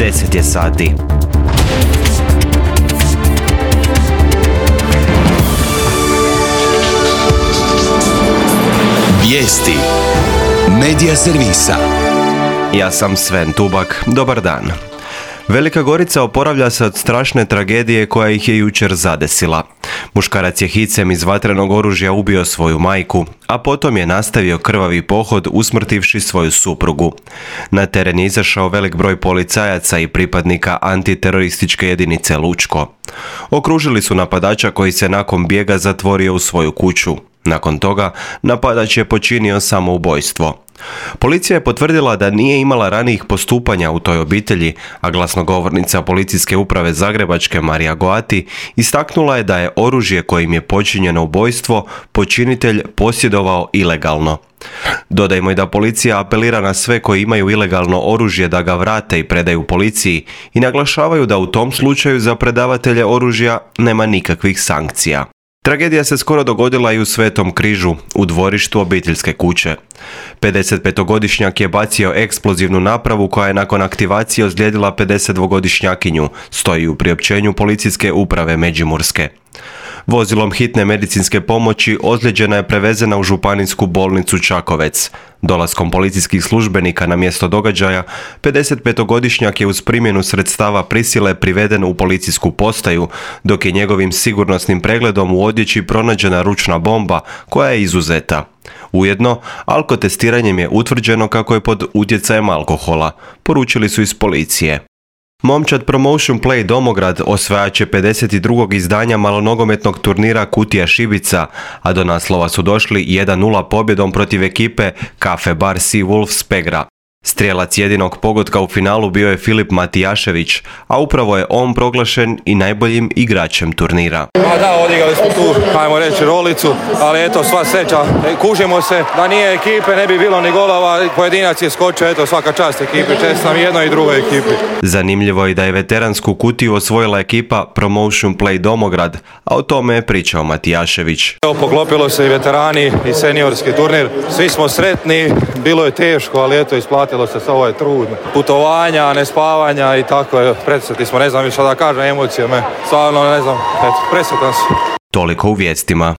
10 je sati. Vijesti Medija servisa. Ja sam Sven Tubak, dobar dan. Velika Gorica oporavlja se od strašne tragedije koja ih je jučer zadesila. Muškarac je hicem iz vatrenog oružja ubio svoju majku, a potom je nastavio krvavi pohod usmrtivši svoju suprugu. Na teren je izašao velik broj policajaca i pripadnika antiterorističke jedinice Lučko. Okružili su napadača koji se nakon bijega zatvorio u svoju kuću. Nakon toga, napadač je počinio samoubojstvo. Policija je potvrdila da nije imala ranijih postupanja u toj obitelji, a glasnogovornica Policijske uprave Zagrebačke Marija Goati istaknula je da je oružje kojim je počinjeno ubojstvo počinitelj posjedovao ilegalno. Dodajmo i da policija apelira na sve koji imaju ilegalno oružje da ga vrate i predaju policiji i naglašavaju da u tom slučaju za predavatelje oružja nema nikakvih sankcija. Tragedija se skoro dogodila i u Svetom Križu, u dvorištu obiteljske kuće. 55-godišnjak je bacio eksplozivnu napravu koja je nakon aktivacije ozlijedila 52-godišnjakinju, stoji u priopćenju Policijske uprave Međimurske. Vozilom hitne medicinske pomoći ozlijeđena je prevezena u županijsku bolnicu Čakovec. Dolaskom policijskih službenika na mjesto događaja, 55-godišnjak je uz primjenu sredstava prisile priveden u policijsku postaju, dok je njegovim sigurnosnim pregledom u odjeći pronađena ručna bomba koja je izuzeta. Ujedno, alkotestiranjem je utvrđeno kako je pod utjecajem alkohola, poručili su iz policije. Momčad Promotion Play Domograd osvajač je 52. izdanja malonogometnog turnira Kutija Šibica, a do naslova su došli 1-0 pobjedom protiv ekipe Cafe Bar Sea Wolves Pegra. Strijelac jedinog pogotka u finalu bio je Filip Matijašević, a upravo je on proglašen i najboljim igračem turnira. Da, odigrali smo tu, ajmo reći, rolicu, ali eto, sva sreća, kužimo se, da nije ekipe, ne bi bilo ni golova, pojedinac je skočio, eto, svaka čast ekipi, čestam i jednoj i drugoj ekipi. Zanimljivo je da je veteransku kutiju osvojila ekipa Promotion Play Domograd, a o tome je pričao Matijašević. Evo, poklopilo se i veterani i seniorski turnir, svi smo sretni, bilo je teško, ali eto, isplatilo se, ovo je trud, putovanja, nespavanja i tako, presretni smo, ne znam više da kažem, emocije me, stvarno ne znam, eto, presretan sam. Toliko u vijestima.